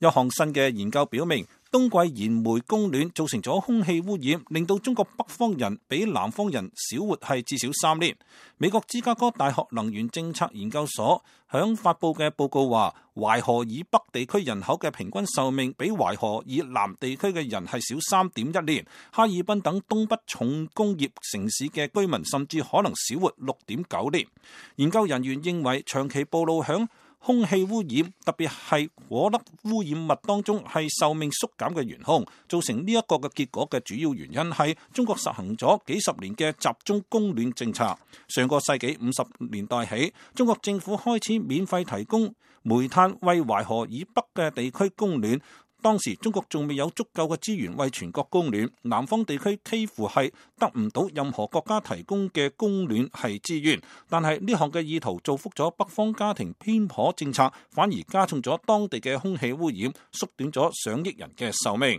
有項新嘅研究表明，冬季燃煤供暖造成咗空氣污染，令到中國北方人比南方人少活係至少3年。美國芝加哥大學能源政策研究所響發佈嘅報告話，淮河以北地區人口嘅平均壽命比淮河以南地區嘅人係少3.1年。哈爾濱等東北重工業城市嘅居民甚至可能少活6.9年。研究人員認為，長期暴露響空氣污染，特別係顆粒污染物當中，係壽命縮減嘅元兇。造成呢一個嘅結果嘅主要原因係中國實行咗幾十年嘅集中供暖政策。上個世紀50年代起，中國政府開始免費提供煤炭為淮河以北嘅地區供暖。當時中國仲未有足夠嘅資源為全國供暖，南方地區幾乎係得唔到任何國家提供嘅供暖係資源。但係呢項嘅意圖造福咗北方家庭偏頗政策，反而加重咗當地嘅空氣污染，縮短咗上億人嘅壽命。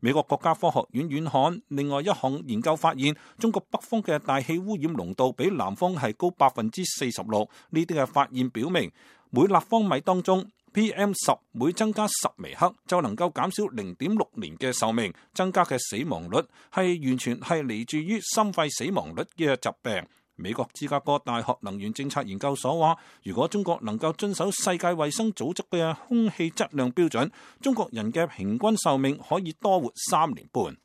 美國國家科學院院刊另外一項研究發現，中國北方嘅大氣污染濃度比南方係高46%。呢啲嘅發現表明，每立方米當中PM10每增加10微克，就能夠減少0.6年嘅壽命。增加嘅死亡率係完全係嚟自於心肺死亡率嘅疾病。美國芝加哥大學能源政策研究所話，如果中國能夠遵守世界衛生組織嘅空氣質量標準，中國人嘅平均壽命可以多活3年半。